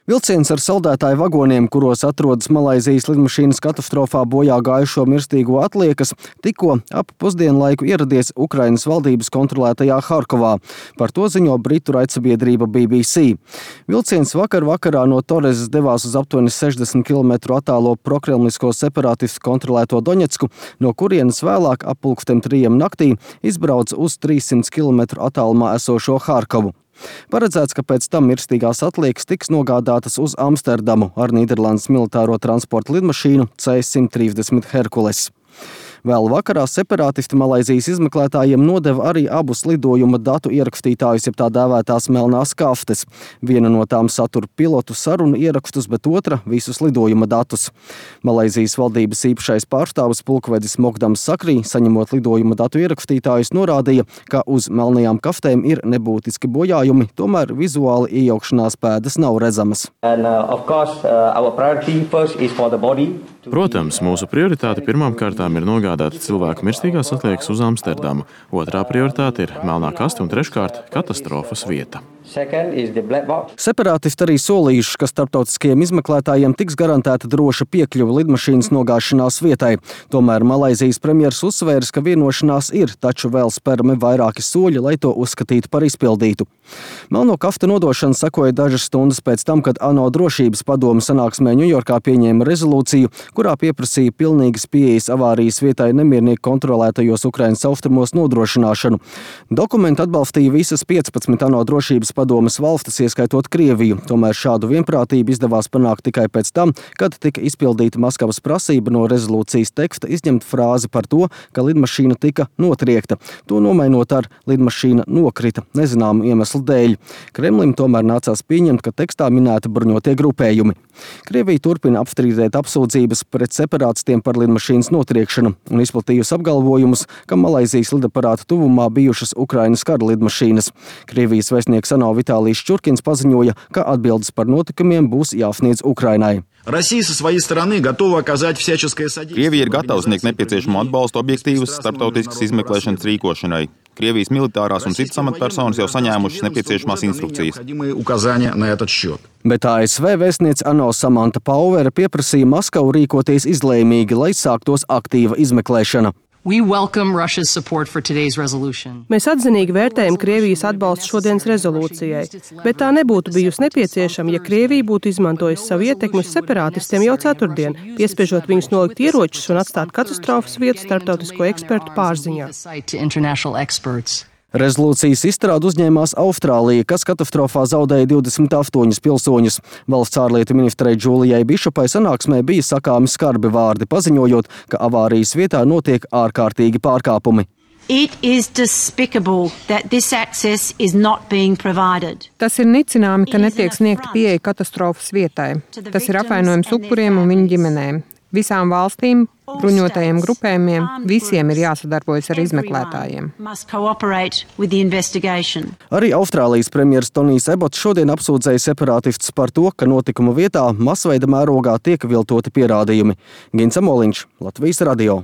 Vilciens ar saldētāju vagoniem, kuros atrodas Malaizijas lidmašīnas katastrofā bojā gājušo mirstīgo atliekas, tikko ap pusdienlaiku ieradies Ukrainas valdības kontrolētajā Harkovā. Par to ziņo britu raidsabiedrība BBC. Vilciens vakarā no Torezes devās uz aptuveni 60 km attālo prokremlisko separātistu kontrolēto Doņetsku, no kurienes vēlāk ap 2:30 naktī izbrauca uz 300 km attālumā esošo Harkovu. Paredzēts, ka pēc tam mirstīgās atliekas tiks nogādātas uz Amsterdamu ar Nīderlandes militāro transporta lidmašīnu C-130 Herkules. Vēl vakarā separātisti Malaizijas izmeklētājiem nodeva arī abus lidojuma datu ierakstītājus, jeb tā dēvētās melnās kaftes. Viena no tām satura pilotu sarunu ierakstus, bet otra visus lidojuma datus. Malaizijas valdības īpašais pārstāvis pulkvedis Mogdams Sakrī, saņemot lidojuma datu ierakstītājus, norādīja, ka uz melnajām kaftēm ir nebūtiski bojājumi, tomēr vizuāli iejaukšanās pēdas nav redzamas. Protams, mūsu prioritāte pirmām kārtām ir nogādāt cilvēku mirstīgās atliekas uz Amsterdamu. Otrā prioritāte ir melnā kaste un treškārt katastrofas vieta. Separātisti arī solījuši, ka starptautiskajiem izmeklētājiem tiks garantēta droša piekļuve lidmašīnas nogāšanās vietai. Tomēr Malaizijas premjers uzsvērs, ka vienošanās ir, taču vēl spērami vairāki soļi, lai to uzskatītu par izpildītu. Melno kaftu nodošana sekoja dažas stundas pēc tam, kad ANO drošības padome sanāksmē Ņujorkā pieņēma rezolūciju, kurā pieprasīja pilnīgas pieejas avārijas vietai nemiernieku kontrolētajos Ukrainas austrumos nodrošināšanu. Dokumentu atbalstīja visas 15 ANO drošības padomes valstis, ieskaitot Krieviju. Tomēr šādu vienprātību izdevās panākt tikai pēc tam, kad tika izpildīta Maskavas prasība no rezolūcijas teksta izņemt frāzi par to, ka lidmašīna tika notriekta. To nomainot ar lidmašīna nokrita nezināmu iemeslu dēļ. Kremlim tomēr nācās pieņemt, ka tekstā minēti bruņotie grupējumi. Krievija turpina apstrīdēt apsūdzības pret separātistiem par lidmašīnas notriekšanu un izplatījusi apgalvojumus, ka Malaizijas lidaparāta tuvumā bijušas Ukrainas kara lidmašīnas. Krievijas vēstnieks ANO Vitālijs Čurkins paziņoja, ka atbildes par notikumiem būs jāsniedz Ukrainai. Krievija ir gatava sniegt nepieciešamo atbalstu objektīvas starptautiskas izmeklēšanas rīkošanai. Krievijas militārās un citas amatpersonas jau saņēmušas nepieciešamās instrukcijas. Bet ASV vēstniece ANO Samanta Pauere pieprasīja Maskavu rīkoties izlēmīgi, lai sāktos aktīva izmeklēšana. Mēs atzinīgi vērtējam Krievijas atbalstu šodienas rezolūcijai, bet tā nebūtu bijusi nepieciešama, ja Krievija būtu izmantojusi savu ietekmi uz separātistiem jau ceturtdien, piespiežot viņus nolikt ieročus un atstāt katastrofas vietu starptautisko ekspertu pārziņā. Rezolūcijas izstrādi uzņēmās Austrālija, kas katastrofā zaudēja 28 pilsoņus. Valsts ārlietu ministrei Džūlijai Bišopai sanāksmē bija sakāmi skarbi vārdi, paziņojot, ka avārijas vietā notiek ārkārtīgi pārkāpumi. Tas ir nicināmi, ka netiek sniegta pieeja katastrofas vietai. Tas ir apvainojums upuriem un viņu ģimenēm. Visām valstīm, bruņotajiem grupējumiem, visiem ir jāsadarbojas ar izmeklētājiem. Arī Austrālijas premjers Tonijs Ebots šodien apsūdzēja separātistus par to, ka notikuma vietā masveida mērogā tiek viltoti pierādījumi. Gins Amoliņš, Latvijas radio.